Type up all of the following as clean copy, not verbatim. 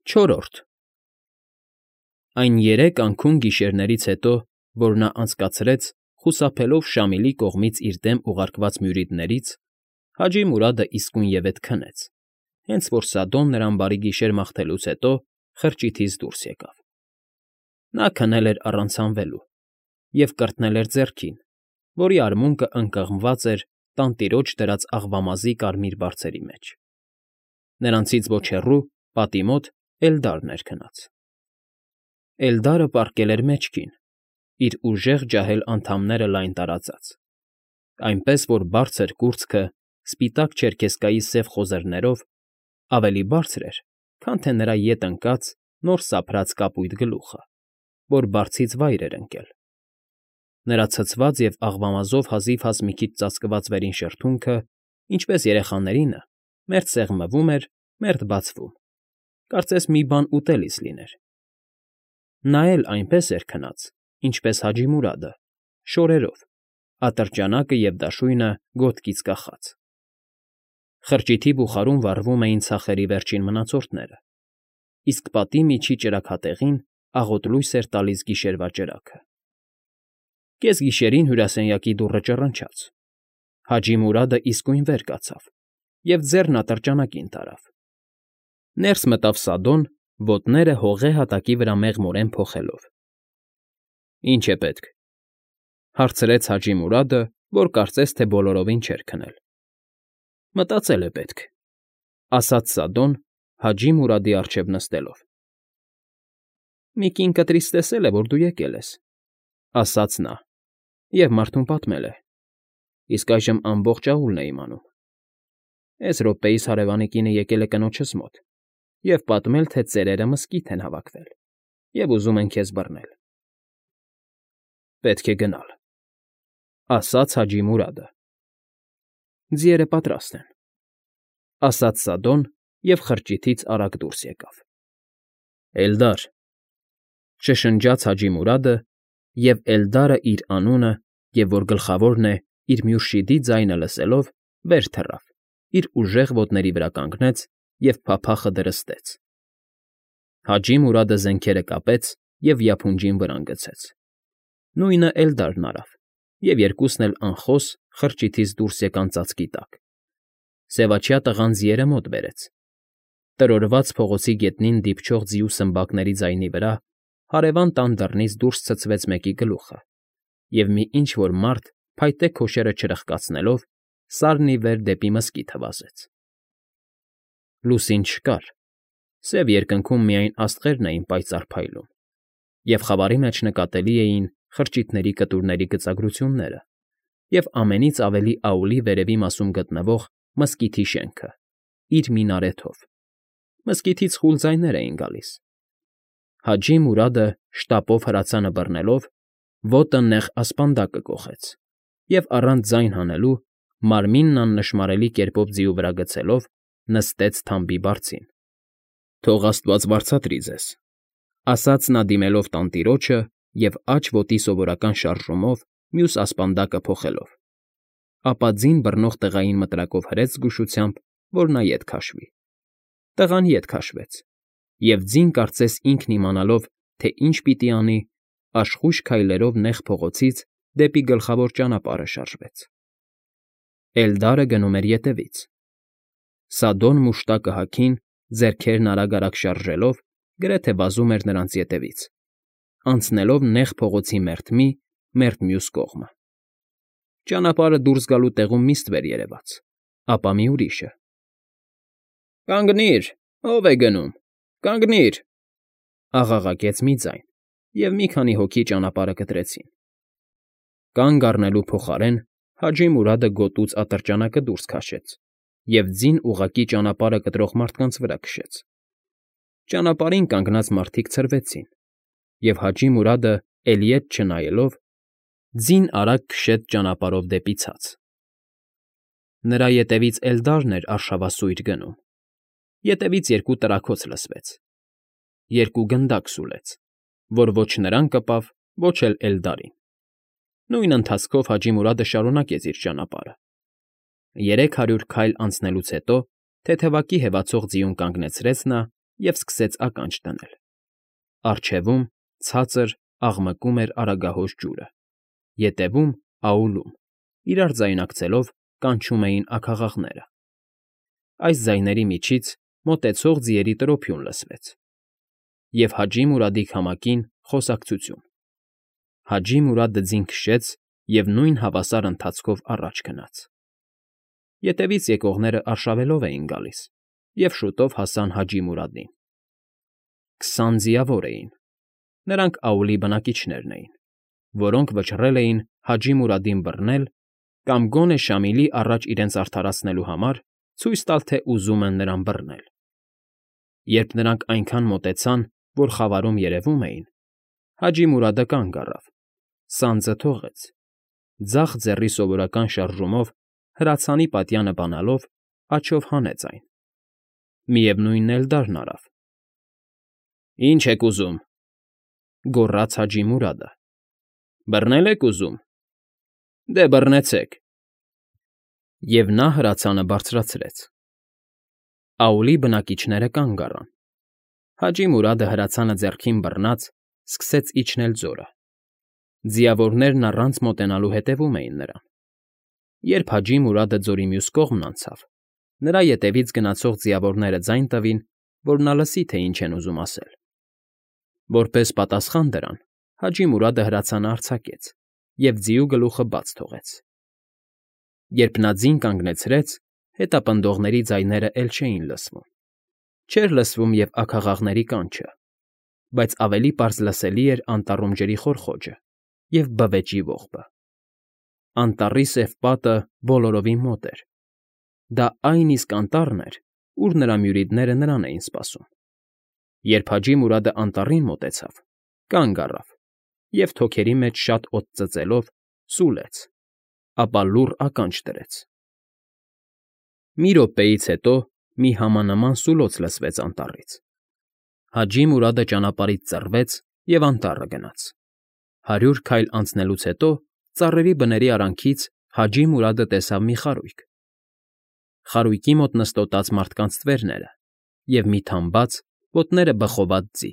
Չորրորդ Այն 3 գիշերներից հետո, որ նա անցկացրեց, խուսափելով Շամիլի կողմից իր դեմ ուղարկված մյուրիդներից, Հաջի Մուրադը իսկույնևեթ քնեց, հենց որ Սադոն նրան բարի գիշեր մաղթելուց հետո խրճիթից դուրս եկավ։ Նա քնել էր առանց հանվելու և կրտնել էր ձեռքին, որի արմունկը ընկղմված էր տանտիրոջ դրած աղվամազի կարմիր բարձերի մեջ։ Նրանցից ոչ հեռու, պատի մոտ, Էլդարն էր քնած։ Էլդարը պառկել էր մեջքին, իր ուժեղ ջահել անդամները լայն տարածած, այնպես որ բարձր կուրծքը սպիտակ չերքեզկայի սև խոզերներով ավելի բարձր էր, քան թե նրա ետ ընկած նոր սափրած կապույտ գլուխը, որ բարձից վայր էր ընկել։ Նրա ցցված և աղվամազով հազիվ մի քիչ ծածկված վերին շրթունքը, ինչպես երեխաներինը, մերթ սեղմվում էր, մերթ բացվում, կարծես մի բան ուտելիս լիներ։ Նա էլ այնպես էր քնած, ինչպես Հաջի Մուրադը, շորերով, ատրճանակը և դաշույնը ոտքից կախած։ Խրճիթի բուխարում վառվում էին ցախերի վերջին մնացորդները, իսկ պատի միջի ճրագատեղին աղոտ լույս էր տալիս գիշերվա ճրագը։ Կեսգիշերին հյուրասենյակի դուռը ճռնչաց։ Հաջի Մուրադը իսկույն վեր կացավ և ձեռն ատրճանակին տարավ։ Ներս մտավ Սադոն, ոտները հողե հատակի վրա մեղմորեն փոխելով։ ֊ Ի՞նչ է պետք,֊ հարցրեց Հաջի Մուրադը, որ կարծես թե բոլորովին չէր քնել։ ֊ Մտածել է պետք,֊ ասաց Սադոն, Հաջի Մուրադի առջև նստելով։ ֊ Մի կին կտրից տեսել է, որ դու եկել ես,֊ ասաց նա,֊ և մարդուն պատմել է, իսկ այժմ ամբողջ աուլն է իմանում։ Էս րոպեիս հարևանի կինը եկել է կնոջս մոտ և պատմել, թե ծերերը մզկիթ են հավաքվել և ուզում են քեզ բռնել։ ֊ Պետք է գնալ,֊ ասաց Հաջի Մուրադը։ ֊ Ձիերը պատրաստ են,֊ ասաց Սադոն և խրճիթից արագ դուրս եկավ։ ֊ Էլդար,֊ շշնջաց Հաջի Մուրադը, և Էլդարը իր անունը, և որ գլխավորն է, իր մյուրշիդի ձայնը լսելով, վեր թռավ, իր ուժեղ ոտների վրա կանգնեց և փափախը դրստեց։ Հաջի Մուրադը զենքերը կապեց և իափունջին վրան գցեց։ Նույնը Էլդարն արավ, և երկուսն էլ անխոս խրճիթից դուրս եկան ծածկի տակ։ Սևաչյա տղան ձիերը մոտ բերեց։ Տրորված փողոցի գետնին դիպչող ձիու սմբակների ձայնի վրա հարևան տան դռնից դուրս ցցվեց մեկի գլուխը, և մի ինչ֊որ մարդ, փայտե քոշերը չրխկացնելով, սարն ի վեր դեպի մզկիթը վազեց։ Լուսին չկար, սև երկնքում միայն աստղերն էին պայծառ փայլում, և խավարի մեջ նկատելի էին խրճիթների կտուրների գծագրությունները և ամենից ավելի աուլի վերևի մասում գտնվող մզկիթի շենքը, իր մինարեթով։ Մզկիթից խուլ ձայներ էին գալիս։ Հաջի Մուրադը, շտապով հրացանը բռնելով, ոտը նեղ ասպանդակը կոխեց և առանց ձայն հանելու, մարմինն աննշմարելի կերպով ձիու վրա գցելով, նստեց թամբի բարձին։ ֊ Թող աստված վարձատրի ձեզ,֊ ասաց նա դիմելով տանտիրոջը և աջ ոտի սովորական շարժումով մյուս ասպանդակը փոխելով, ապա ձին բռնող տղային մտրակով հրեց զգուշությամբ, որ նա ետ քաշվի։ Տղան ետ քաշվեց, և ձին, կարծես ինքն իմանալով, թե ինչ պիտի անի, աշխույժ քայլերով նեղ փողոցից դեպի գլխավոր ճանապարհը շարժվեց։ Էլդարը գնում էր ետևից։ Սադոն մուշտակը հագին, ձեռքերն արագ֊արագ շարժելով, գրեթե վազում էր նրանց ետևից, անցնելով նեղ փողոցի մերթ մի, մերթ մյուս կողմը։ Ճանապարհը դուրս գալու տեղում մի ստվեր երևաց, ապա մի ուրիշը։ ֊ Կանգնի՛ր, ո՞վ է գնում, կանգնի՛ր,֊ աղաղակեց մի ձայն, և մի քանի հոգի ճանապարհը կտրեցին։ Կանգ առնելու փոխարեն Հաջի Մուրադը գոտուց ատրճանակը դուրս քաշեց և ձին ուղղակի ճանապարհը կտրող մարդկանց վրա քշեց։ Ճանապարհին կանգնած մարդիկ ցրվեցին, և Հաջի Մուրադը, էլի ետ չնայելով, ձին արագ քշեց ճանապարհով դեպի ցած։ Նրա ետևից Էլդարն էր արշավասույր գնում։ Ետևից երկու տրաքոց լսվեց։ Երկու գնդակ սուլեց, որ ոչ նրան կպավ, ոչ էլ Էլդարին։ Նույն ընթացքով Հաջի Մուրադը շարունակեց իր ճանապարհը։ 300 քայլ անցնելուց հետո թեթևակի հևացող ձիուն կանգնեցրեց նա և սկսեց ականջ դնել։ Առջևում, ցածր, աղմկում էր Արագահոս ջուրը, ետևում, աուլում, իրար ձայնակցելով, կանչում էին աքաղաղները։ Այս ձայների միջից մոտեցող ձիերի տրոփյուն լսվեց, և Հաջի Մուրադի քամակին խոսակցություն։ Հաջի Մուրադը ձին քշեց և նույն հավասար ընթացքով առաջ գնաց։ Ետևից եկողները արշավելով էին գալիս և շուտով հասան Հաջի Մուրադին։ 20 ձիավոր էին։ Նրանք աուլի բնակիչներն էին, որոնք վճռել էին Հաջի Մուրադին բռնել կամ գոնե Շամիլի առաջ իրենց արդարացնելու համար ցույց տալ, թե ուզում են նրան բռնել։ Երբ նրանք այնքան մոտեցան, որ խավարում երևում էին, Հաջի Մուրադը կանգ առավ, սանձը թողեց, ձախ ձեռի սովորական շարժումով հրացանի պատյանը բանալով աջով հանեց այն։ Միևնույնն Էլդարն արավ։ «Ինչ եք ուզում,֊ գոռաց Հաջի Մուրադը։֊ Բռնե՞լ եք ուզում։ Դե բռնեցեք»։ Եվ նա հրացանը բարձրացրեց։ Աուլի բնակիչները կանգ առան։ Հաջի Մուրադը հրացանը ձեռքին բռնած սկսեց իջնել ձորը։ Ձիավորներն առանց մոտենալու հետևում էին նրան։ Երբ Հաջի Մուրադը ձորի մյուս կողմն անցավ, նրա ետևից գնացող ձիավորները ձայն տվին, որ նա լսի, թե ինչ են ուզում ասել։ Որպես պատասխան դրան, Հաջի Մուրադը հրացանը արձակեց և ձիու գլուխը բաց թողեց։ Երբ նա ձին կանգնեցրեց, հետապնդողների ձայները էլ չէին լսվում։ Չէր լսվում և աքաղաղների կանչը, բայց ավելի պարզ լսելի էր անտառում ջրի խորխոջը և բվեճի ողբը։ Անտառի սև պատը բոլորովին մոտ էր։ Դա այն իսկ անտառն էր, ուր նրա մյուրիդները նրան էին սպասում։ Երբ Հաջի Մուրադը անտառին մոտեցավ, կանգ առավ և թոքերի մեջ շատ օդ ծծելով սուլեց, ապա լուռ ականջ դրեց։ Մի րոպեից հետո մի համանման սուլոց լսվեց անտառից։ Հաջի Մուրադը ճանապարհից ծռվեց և անտառը գնաց։ 100 քայլ անցնելուց հետո ծառերի բների արանքից Հաջի Մուրադը տեսավ մի խարույկ։ Խարույկի մոտ նստոտած մարդկանց ստվերները և մի թամբած, ոտները բխոված ձի,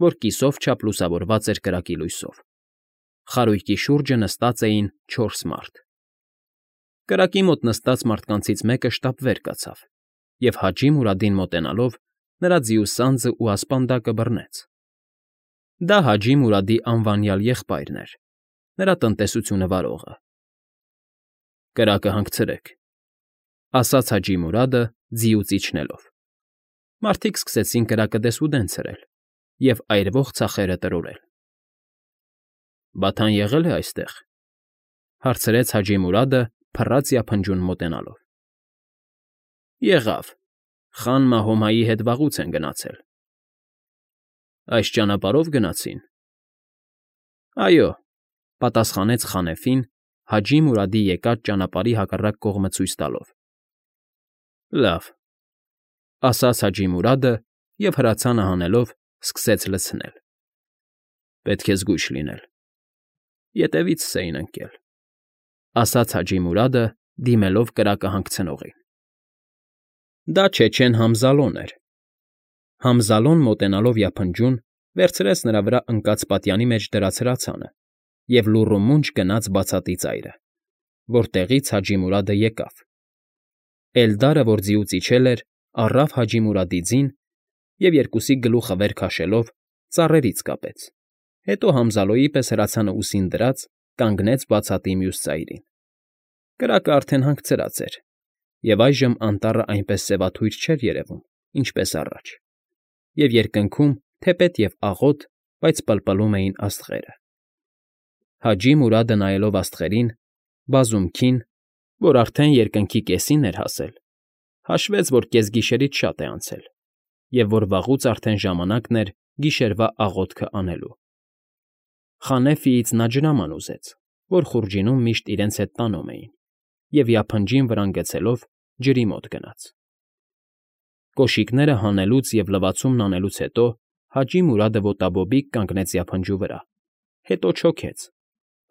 որ կիսով չափ լուսավորված էր կրակի լույսով։ Խարույկի շուրջը նստած էին 4 մարդ։ Կրակի մոտ նստած մարդկանցից մեկը շտապ վեր կացավ և Հաջի Մուրադին մոտենալով նրա ձիու սանձն ու ասպանդակը բռնեց։ Դա Հաջի Մուրադի անվանյալ եղբայրն էր, նրա տնտեսությունը վարողը։ «Կրակը հանգցրեք,֊ ասաց Հաջի Մուրադը ձիուց իջնելով։ Մարդիկ սկսեցին կրակը դեսուդեն ցրել և այրվող ցախերը տրորել։ «Բաթան եղե՞լ է այստեղ,֊ հարցրեց Հաջի Մուրադը փռած֊յափնջուն մոտենալով։ Եղավ. Խան Մահոմայի հետ վաղուց են գնացել։ Այս ճանապարհո՞վ գնացին։ Այո,֊ պատասխանեց Խանեֆին Հաջի Մուրադի եկած ճանապարհի հակառակ կողմը ցույց տալով։ Լավ,֊ ասաց Հաջի Մուրադը և հրացանը հանելով սկսեց լցնել։ Պետք է զգույշ լինել։ Ետևիցս էին ընկել,֊ ասաց Հաջի Մուրադը, դիմելով կրակը հանգցնողին։ Դա չեչեն Համզալոն էր։ Համզալոն մոտենալով յափնջուն վերցրեց նրա վրա ընկած պատյանի մեջ դրած հրացանը և լուռումունջ գնաց բացատի ծայրը, որտեղից Հաջի Մուրադը եկավ։ Էլդարը, որ ձիուց իջել էր, առավ Հաջի Մուրադի ձին և երկուսի գլուխը վեր քաշելով ծառերից կապեց, հետո Համզալոյի պես հրացանը ուսին դրած կանգնեց բացատի մյուս ծայրին։ Կրակը արդեն հանգցրած էր, և այժմ անտառը այնպես սևաթույր չէր երևում, ինչպես առաջ, և երկնքում թեպետ և աղոտ, բայց պլպլում էին աստղերը։ Հաջի Մուրադը, նայելով աստղերին, բազումքին, որ արդեն երկնքի կեսին էր հասել, հաշվեց, որ կեսգիշերից շատ է անցել և որ վաղուց արդեն ժամանակն էր գիշերվա աղոթքը անելու։ Խանեֆիից նա ջրաման ուզեց, որ խուրջինում միշտ իրենց հետ տանում էին, և յափնջին վրան գցելով ջրի մոտ գնաց։ Կոշիկները հանելուց և լվացումն անելուց հետո Հաջի Մուրադը ոտաբոբիկ կանգնեց յափնջու վրա, հետո չոքեց,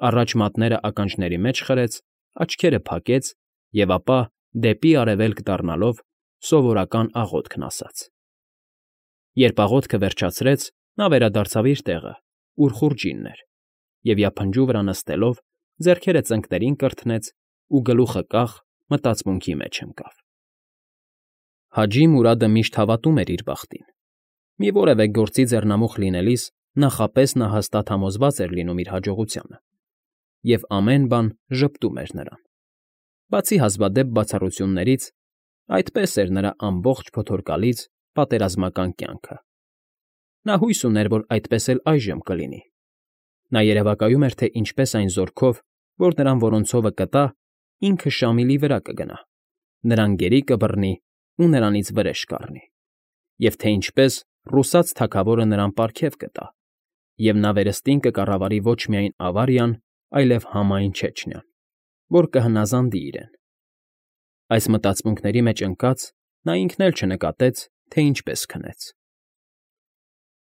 առաջ մատները ականջների մեջ խրեց, աչքերը փակեց և ապա, դեպի արևելք դառնալով, սովորական աղոթքն ասաց։ Երբ աղոթքը վերջացրեց, նա վերադարձավ իր տեղը, ուր խուրջինն էր, և ափնջու վրա նստելով, ձեռքերը ծնկներին կրթնեց ու գլուխը կախ մտածմունքի մեջ ընկավ։ Հաջի Մուրադը միշտ հավատում էր իր բախտին։ Մի որևէ գործի ձեռնամուխ լինելիս նախապես նա հաստատ համոզված էր լինում իր հաջողությանը, և ամեն բան ժպտում էր նրան։ Բացի հազվադեպ բացառություններից, այդպես էր նրա ամբողջ փոթորկալից պատերազմական կյանքը։ Նա հույս ուներ, որ այդպես էլ այժմ կլինի։ Նա երևակայում էր, թե ինչպես այն զորքով, որ նրան որոնցովը կտա, ինքը Շամիլի վրա կգնա, նրան գերի կբռնի ու նրանից վրեժ կառնի, և թե ինչպես ռուսաց թագավորը նրան պարգև կտա, և նա վերստին կկառավարի ոչ միայն Ավարիան, այլև համայն Չեչնիան, որ կհնազանդի իրեն։ Այս մտածմունքների մեջ ընկած՝ նա ինքն էլ չնկատեց, թե ինչպես քնեց։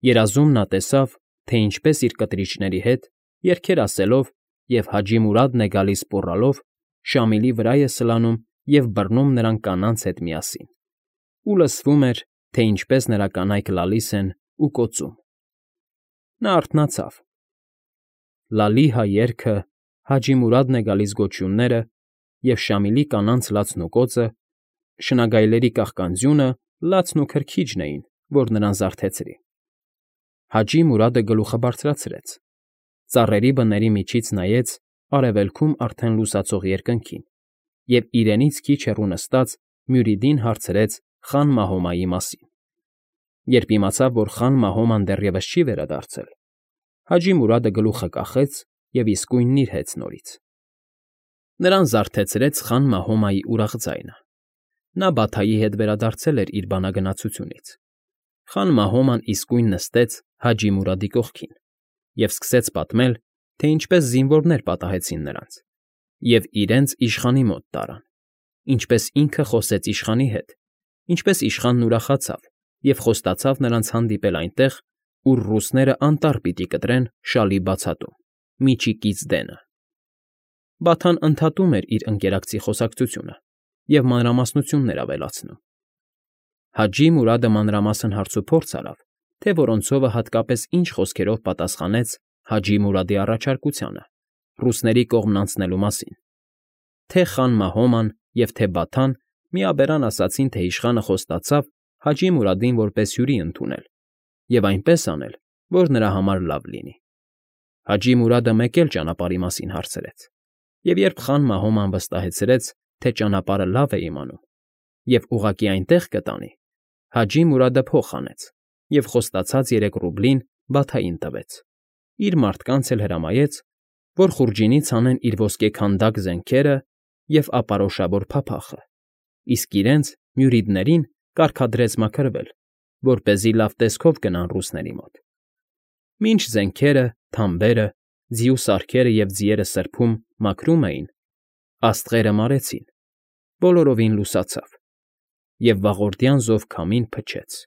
Երազում նա տեսավ, թե ինչպես իր կտրիչների հետ, երգեր ասելով և Հաջի Մուրադն է գալիս պոռալով, Շամիլի վրա է սլանում և բռնում նրան կանանց հետ միասին, ու լսվում էր, թե ինչպես նրա կանայք լալիս են ու կոծում։ Նա արթնացավ. Լալիհա երգը, Հաջի Մուրադն է գալիս գոչյունները և Շամիլի կանանց լացն ու կոծը, շնագայլների կաղկանձյունը լացն ու քրքիջն էին, որ նրան զարթեցրի։ Հաջի Մուրադը գլուխը բարձրացրեց, ծառերի բների միջից նայեց արևելքում արդեն լուսացող երկնքին և իրենից քիչ հեռու նստած Մյուրիդին հարցրեց Խան Մահոմայի մասին։ Երբ իմացավ, որ Խան Մահոման դեռևս չի վերադարձել, Հաջի Մուրադը գլուխը կախեց և իսկույն նիրհեց նորից։ Նրան զարթեցրեց Խան Մահոմայի ուրախ ձայնը։ Նա Բաթայի հետ վերադարձել էր իր բանագնացությունից։ Խան Մահոման իսկույն նստեց Հաջի Մուրադի կողքին և սկսեց պատմել, թե ինչպես զինվորներ պատահեցին նրանց և իրենց իշխանի մոտ տարան, ինչպես ինքը խոսեց իշխանի հետ, ինչպես իշխանն ուրախացավ և խոստացավ նրանց հանդիպել այնտեղ, ուր ռուսները անտառ պիտի կտրեն շալի բացատում, միջիկից դենը։ Բաթան ընդհատում էր իր ընկերակցի խոսակցությունը և մանրամասնություններ ավելացնում։ Հաջի Մուրադը մանրամասն հարցուփորձ արավ, թե որոնցովը հատկապես ինչ խոսքերով պատասխանեց Հաջի Մուրադի առաջարկությանը ռուսների կողմն անցնելու մասին։ Թե Խան Մահոման և թե Բաթան միաբերան ասացին, թե իշխանը խոստացավ Հաջի Մուրադին որպես հյուրի ընդունել և այնպես անել, որ նրա համար լավ լինի։ Հաջի Մուրադը մեկ էլ ճանապարհի մասին հարցրեց, և երբ Խան Մահոման վստահեցրեց, թե ճանապարհը լավ է իմանում և ուղղակի այնտեղ կտանի, Հաջի Մուրադը փող հանեց և խոստացած 3 ռուբլին Բաթային տվեց, իր մարդկանց էլ հրամայեց, որ խուրջինից հանեն իր ոսկեքանդակ զենքերը և ապարոշավոր փափախը, իսկ իրենց՝ Մյուրիդներին կարգադրեց մաքրվել, որպեսզի լավ տեսքով գնան ռուսների մոտ։ Մինչ զենքերը, թամբերը, ձիու սարքերը և ձիերը սրբում, մաքրում էին, աստղերը մարեցին, բոլորովին լուսացավ, և վաղորդյան զով քամին փչեց։